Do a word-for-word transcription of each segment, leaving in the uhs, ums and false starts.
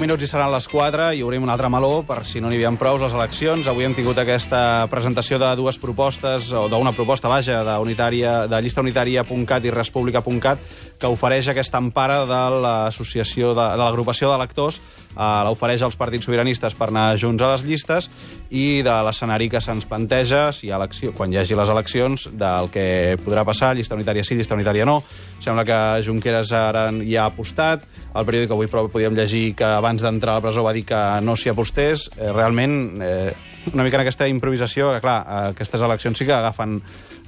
minuts i seran les quatre i obrim un altre meló per si no n'hi havia prou les eleccions. Avui hem tingut aquesta presentació de dues propostes, o d'una proposta, vaja, de, unitària, de llista unitària punt cat i respublica punt cat, que ofereix aquesta empara de l'associació de, de l'agrupació d'electors, eh, l'ofereix als partits sobiranistes per anar junts a les llistes i de l'escenari que se'ns planteja, si hi ha elecció, quan hi hagi les eleccions, del que podrà passar, llista unitària sí, llista unitària no. Sembla que Junqueras ara hi ha apostat. El periòdic avui podíem llegir que abans d'entrar a la presó va dir que no s'hi apostés. Eh, realment, eh, una mica en aquesta improvisació, que clar, aquestes eleccions sí que agafen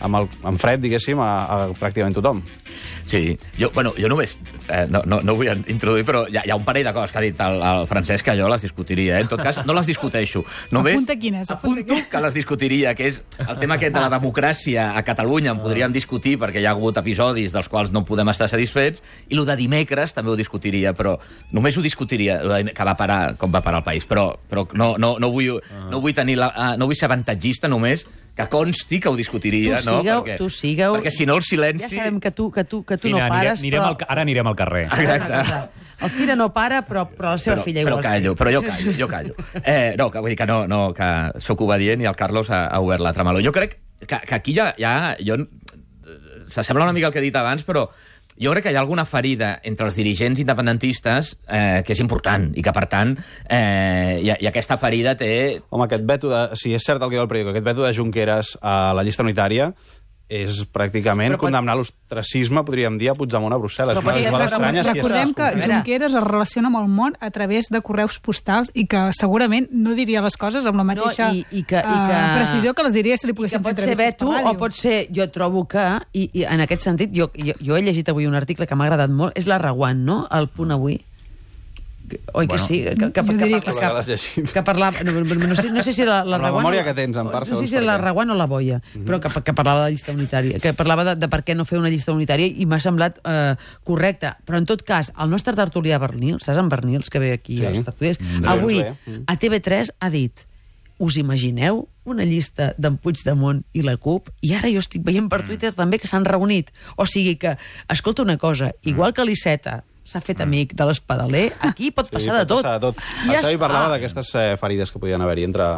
amb, el, amb fred, diguéssim, a, a pràcticament tothom. Sí, jo, bueno, jo només, eh, no, no, no vull introduir, però hi ha, hi ha un parell de coses que ha dit el, el Francesc que jo les discutiria, eh? En tot cas, no les discuteixo. Només apunta quines, apunta apunto que les discutiria, que és el tema aquest de la democràcia a Catalunya, en podríem discutir perquè hi ha hagut episodis dels quals no podem estar satisfets, i el de dimecres també ho discutiria, però només ho discutiria, que va parar, com va parar el país, però, però no, no, no, vull, no, vull tenir la, no vull ser avantatgista només, que consti que ho discutiria, tu sigueu, no? Perquè, tu sigueu... perquè si no el silenci... Ja sabem que tu, que tu, que tu Fina, no pares, anirem, però... anirem al, ara anirem al carrer. Exacte. El Fira no para, però, però la seva però, filla però igual callo, sí. Però jo callo, jo callo. Eh, no, que vull dir que no, no, que sóc obedient i el Carlos ha, ha obert l'altre meló. Jo crec que, que aquí ja... ja jo, s'assembla una mica al que he dit abans, però jo crec que hi ha alguna ferida entre els dirigents independentistes eh, que és important i que, per tant, eh, i, i aquesta ferida té... Home, aquest veto de... Si és cert el que diu el periòdic, aquest veto de Junqueras a la llista unitària és pràcticament però, condemnar l'ostracisme, podríem dir, a Puigdemont a Brussel·les. Però, Una però, estranya, si és recordem que cert. Junqueras es relaciona amb el món a través de correus postals i que segurament no diria les coses amb la mateixa no, i, i que, i que, uh, precisió que les diria si li poguessin fer entrevistes per ràdio. Pot ser veto o pot ser... Jo trobo que, i, i en aquest sentit, jo, jo, jo he llegit avui un article que m'ha agradat molt, és la Reguant, no?, el Punt Avui. Oi que bueno, sí? Que, que, que, que, que, que parlava... No, no, sé, no sé si la, la, la Reguant... memòria que tens, en part, no sé si la Reguant o la Boia, mm-hmm. però que, que parlava de llista unitària, que parlava de, de per què no fer una llista unitària i m'ha semblat eh, correcte. Però, en tot cas, el nostre tertulià Bernils, saps en Bernils, que ve aquí sí. als tertuliers, mm, avui mm. a T V tres ha dit: us imagineu una llista d'en Puigdemont i la CUP? I ara jo estic veient per Twitter mm. també que s'han reunit. O sigui que, escolta una cosa, igual que l'Iceta s'ha fet amic de l'Espadaler, aquí pot passar sí, de tot. Passar de tot. I el Xavi parlava ah. d'aquestes eh, ferides que podien haver-hi entre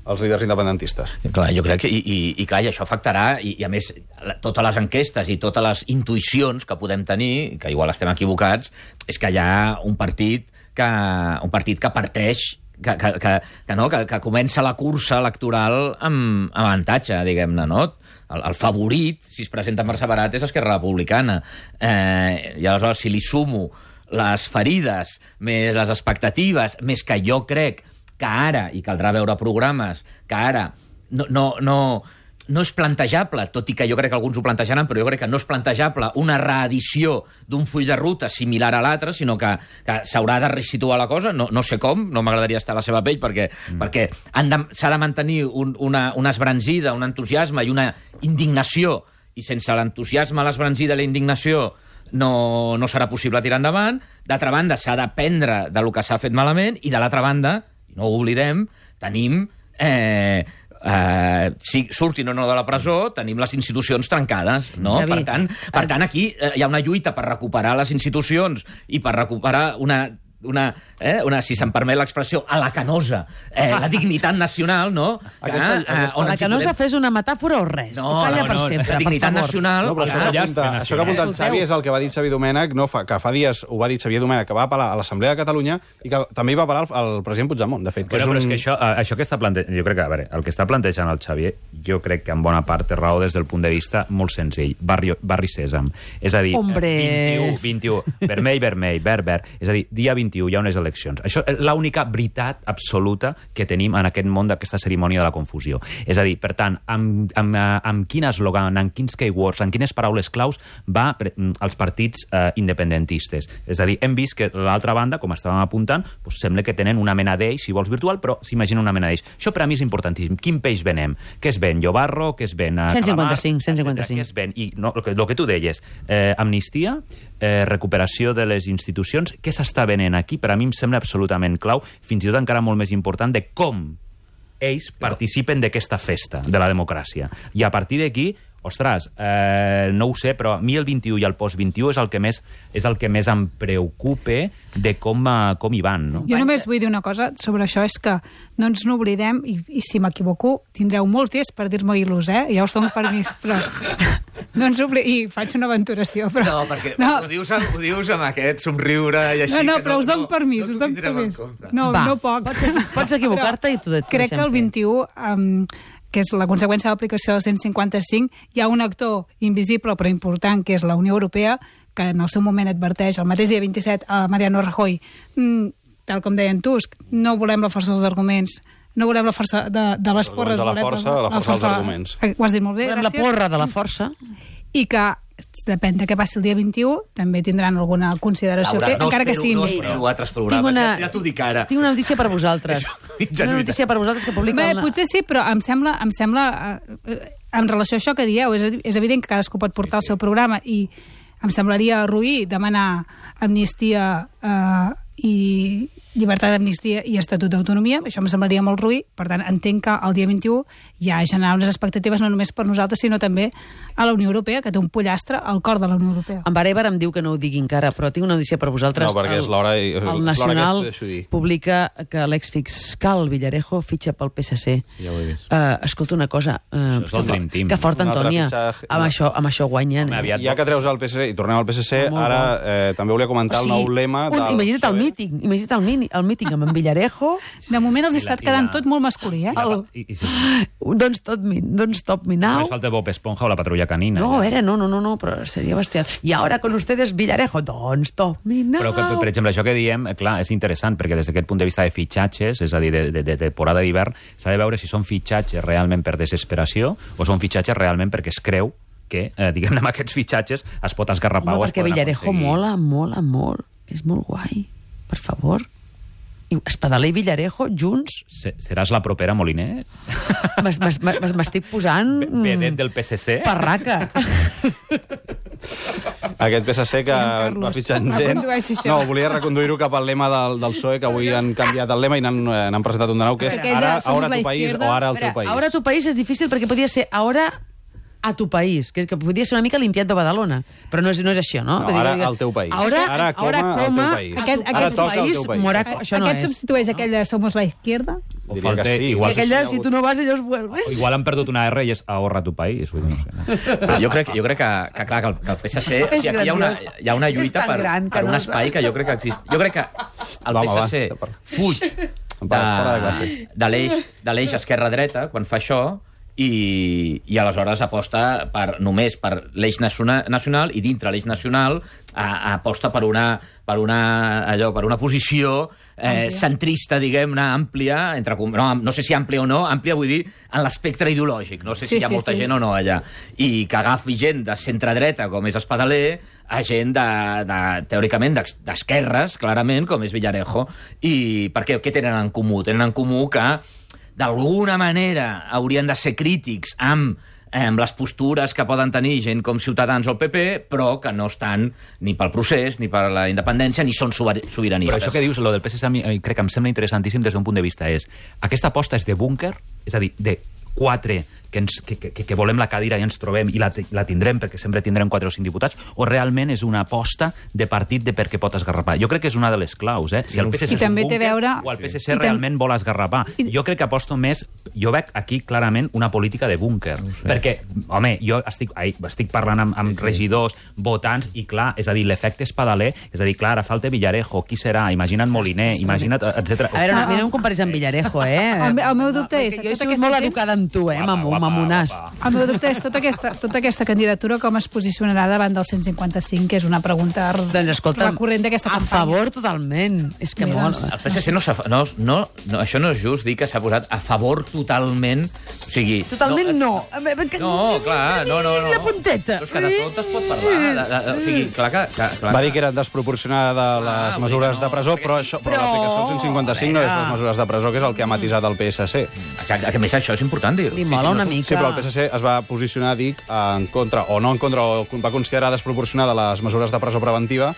els líders independentistes. Clar, jo crec que, i, i, i clar, i això afectarà, i, i a més, la, totes les enquestes i totes les intuïcions que podem tenir, que igual estem equivocats, és que hi ha un partit que, un partit que parteix, que, que, que, que, no, que, que comença la cursa electoral amb, amb avantatge, diguem-ne, no? El, el favorit, si es presenta per separat, és Esquerra Republicana. Eh, I aleshores, si li sumo les ferides, més les expectatives, més que jo crec que ara, i caldrà veure programes, que ara no, no, no, no és plantejable, tot i que jo crec que alguns ho plantejaran, però jo crec que no és plantejable una reedició d'un full de ruta similar a l'altre, sinó que, que s'haurà de resituar la cosa, no, no sé com, no m'agradaria estar a la seva pell, perquè, mm. perquè s'ha de, de mantenir un, una, una esbranzida, un entusiasme i una indignació, i sense l'entusiasme, l'esbranzida i la indignació no, no serà possible tirar endavant. D'altra banda, s'ha d'aprendre de lo que s'ha fet malament, i de l'altra banda, i no ho oblidem, tenim... Eh, Uh, si surtin o no de la presó, tenim les institucions trencades, no? Xavi, per tant, per tant, aquí uh, hi ha una lluita per recuperar les institucions i per recuperar una... una, eh, una si se'm permet l'expressió, a la canosa, eh, la dignitat nacional, no? Que, Aquesta, aquesta... Eh, on la canosa podem... fes una metàfora o res? No, Calla no, per no, sempre, la dignitat per favor. nacional... No, però això, que apunta, això que apunta el Xavi és el que va dir Xavi Domènech, no, fa, que fa dies ho va dir Xavier Domènech, que va apel·lar a l'Assemblea de Catalunya i que també hi va apel·lar al, al president Puigdemont, de fet. Que bueno, és un... però és que això, això que està plantejant... Jo crec que, a veure, el que està plantejant el Xavier, jo crec que en bona part té raó des del punt de vista molt senzill. Barri, barri Sèsam. És a dir, Hombre. vint-i-u, vint-i-u, vermell, vermell, verd, verd. És a dir, dia vint-i-u hi ha unes eleccions. Això és l'única veritat absoluta que tenim en aquest món d'aquesta cerimònia de la confusió. És a dir, per tant, amb, amb, amb quin eslògan, amb quins keywords, amb quines paraules claus va als partits eh, independentistes. És a dir, hem vist que l'altra banda, com estàvem apuntant, doncs sembla que tenen una mena d'eix, si vols virtual, però s'imagina una mena d'eix. Això per a mi és importantíssim. Quin peix venem? Què es ven? Llobarro? Què es ven? cent cinquanta-cinc, cent cinquanta-cinc. Què es ven? I no, el, que, el que tu deies, eh, amnistia, eh, recuperació de les institucions, què s'està venent aquí? Per a mi em sembla absolutament clau, fins i tot encara molt més important, de com ells participen d'aquesta festa de la democràcia. I a partir d'aquí, ostres, eh, no ho sé, però a mi el vint-i-u i el post-vint-i-u és el que més és el que més em preocupa de com, uh, com hi van, no? Jo només vull dir una cosa sobre això, és que no ens n'oblidem, i, i si m'equivoco, tindreu molts dies per dir-me il·lus, eh? Ja us dono permís, però no ens oblidem, i faig una aventuració, però... No, perquè no. Ho, dius, ho dius amb aquest somriure i així... No, no, que però us dono no, permís, no us dono permís. No, Va, no poc. Pots, pots equivocar-te i tu et Crec que el vint-i-u... Um, que és la conseqüència de l'aplicació del cent cinquanta-cinc, hi ha un actor invisible però important, que és la Unió Europea, que en el seu moment adverteix, el mateix dia vint-i-set, a Mariano Rajoy, mm, tal com deien Tusk, no volem la força dels arguments, no volem la força de, de les porres. De la volem força, la, la força dels arguments. Ho has dit molt bé, Volem gràcies. la porra de la força. I que, depèn de què passi el dia vint-i-u, també tindran alguna consideració Laura, a fer, no encara que espero, sigui no invisible. espero altres programes, ja, ja t'ho dic ara. Tinc una notícia per vosaltres. Una notícia per vosaltres que publica... Bé, una... potser sí, però em sembla, em sembla eh, en relació a això que dieu, és, és evident que cadascú pot portar sí, sí. el seu programa i em semblaria roí demanar amnistia eh, i llibertat d'amnistia i estatut d'autonomia, això em semblaria molt roí, per tant entenc que el dia vint-i-u ja generarà unes expectatives no només per nosaltres, sinó també a la Unió Europea, que té un pollastre al cor de la Unió Europea. En Barever em diu que no ho digui encara, però tinc una notícia per vosaltres. No, perquè és l'hora i- El, l'hora el Nacional aquesta, deixo dir. publica que l'exfiscal Villarejo fitxa pel P S C. Ja ho he vist. Uh, escolta una cosa, uh, Això és el que, Dream Team. que fort, Un altre Antònia. fitxatge- Amb això, amb això guanyen. Home, eh? aviat- Ja que treus el P S C i tornem al P S C, Molt ara bo. eh, també volia comentar O sigui, el nou lema un, del imagina't el PSOE. míting, imagina't el, mini, el míting amb en Villarejo. De moment els I ha la- estat i quedant la- tot molt masculí, eh? El, I, i si don't stop me, don't stop me now. només falta Bob Esponja o la Patrulla Canina. No, a ja. veure, no, no, no, no, però seria bestial. I ara con ustedes Villarejo, don't stop me now. Però, que, per exemple, això que diem, eh, clar, és interessant, perquè des d'aquest punt de vista de fitxatges, és a dir, de, de, de temporada d'hivern, s'ha de veure si són fitxatges realment per desesperació o són fitxatges realment perquè es creu que, eh, diguem-ne, amb aquests fitxatges es pot esgarrapar Home, o es perquè poden Villarejo aconseguir. mola, mola molt. És molt guai. Per favor. I Espadaler i Villarejo, junts, Se- Seràs la propera Moliner? m'es- m'es- m'es- m'estic posant... mm, Vedet del P S C? Parraca. Aquest P S C que Carlos, va fitxant no gent... condueixi això. No, volia reconduir-ho cap al lema del, del P S O E, que avui han canviat el lema i n'han eh, n'han presentat un de nou, que és Aquella, ara, somos ara la tu país izquierda. o ara el Espera, teu país. ahora tu país és difícil perquè podria ser ahora a tu país, que, que podria ser una mica limpiat de Badalona, però no és, no és això, no? No, Vull dir ara que- al teu país. Ahora, Ara coma ahora al coma teu país. a tu- Aquest- a aquest tu toca al país, teu país. moraco. Eh, Això no Aquest és. substitueix aquell de Somos la Izquierda? O Diria falta, que sí. I igual, aquell de, si tu no vas, ellos vuelven. o igual han perdut una R i és ahorra tu país. Vull dir, no sé. Però jo crec, jo crec que, que, clar, que el, que el P S C... És Aquí hi ha una, grandiós. hi ha una És lluita tan per, gran que per un no espai que jo crec que exist. Jo crec que el Va, P home, S C va, fuig Va, fora de classe. de, de l'eix de l'eix esquerra-dreta quan fa això i, i aleshores aposta per, només per l'eix naciona- nacional i dintre l'eix nacional a, aposta per una, per una, allò, per una posició eh, centrista, diguem-ne, àmplia, entre, com- no, no sé si àmplia o no, àmplia vull dir en l'espectre ideològic, no sé Sí, si hi ha sí, molta sí. gent o no allà, i que agafi gent de centre-dreta, com és Espadaler, a gent, de, de, teòricament, d'ex- d'esquerres, clarament, com és Villarejo, i perquè què tenen en comú? Tenen en comú que d'alguna manera haurien de ser crítics amb, eh, amb les postures que poden tenir gent com Ciutadans o el P P, però que no estan ni pel procés, ni per la independència, ni són sober- sobiranistes. Però això que dius, lo del P S C, a mi, eh, crec que em sembla interessantíssim des d'un punt de vista. És, aquesta aposta és de búnquer, és a dir, de quatre que, ens, que, que, que volem la cadira i ens trobem i la, la tindrem perquè sempre tindrem quatre o cinc diputats, o realment és una aposta de partit de perquè pot esgarrapar. Jo crec que és una de les claus, eh? Si el P S C I és un també té búnquer a veure- o el P S i C tam- realment vol esgarrapar. I- Jo crec que aposto més... Jo veig aquí clarament una política de búnquer. Perquè, home, jo estic, ai, estic parlant amb, amb sí, sí. regidors, votants, i clar, és a dir, l'efecte Espadaler, és a dir, clar, ara falta Villarejo, qui serà? Imagina't Moliner, imagina't, etcètera. A veure, a mi no em comparis amb Villarejo, eh? El me- el meu dubte és, Perquè jo he tota sigut aquesta molt gent- educada amb tu, eh, Guapa, mamu, guapa, mamonàs. guapa. El meu dubte és tota aquesta, tota aquesta candidatura com es posicionarà davant del cent cinquanta-cinc, que és una pregunta r- Doncs escolta, recurrent d'aquesta a campanya. favor totalment. És que Mira, molt... doncs, El P S C no, s'ha- no, no, no, això no és just dir que s'ha posat a favor totalment, o sigui... Totalment no. No, clar, no, no, no. La punteta. Però és que de tot es pot parlar. De, de, o sigui, clar que... que clar, Va dir que era desproporcionada de les Ah, mesures vull dir, no, de presó, perquè però, sí. això, però, Però, l'aplicació del cent cinquanta-cinc no és les mesures de presó, que és el que ha matisat el P S C. Exacte, que a més això és important dir-ho. Li mola una mica. Sí, però el P S C es va posicionar, dic, en contra, o no en contra, o va considerar desproporcionada les mesures de presó preventiva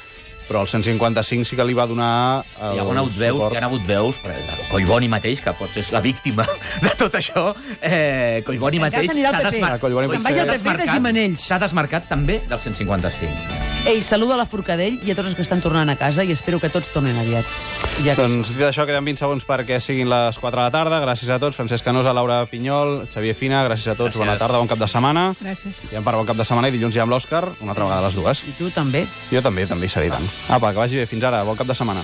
però el cent cinquanta-cinc sí que li va donar el Hi ha hagut veus, suport. hi ha hagut veus, per el Collboni mateix, que potser és la víctima de tot això, eh, Collboni En mateix casa anirà s'ha al P P. desmarcat. Collboni Se'n vagi al P P de Gimenells. S'ha desmarcat també del cent cinquanta-cinc. Ei, saluda a la Forcadell i a tots els que estan tornant a casa i espero que tots tornen aviat. Ja que... Doncs dit això, queden vint segons perquè siguin les quatre de la tarda. Gràcies a tots. Francesc Canosa, Laura Pinyol, Xavier Fina, gràcies a tots. Gràcies. Bona tarda, bon cap de setmana. Gràcies. I em parla bon cap de setmana i dilluns ja amb l'Òscar, una altra vegada a les dues. I tu també. Jo també, també hi seré, i tant. Apa, que vagi bé. Fins ara. Bon cap de setmana.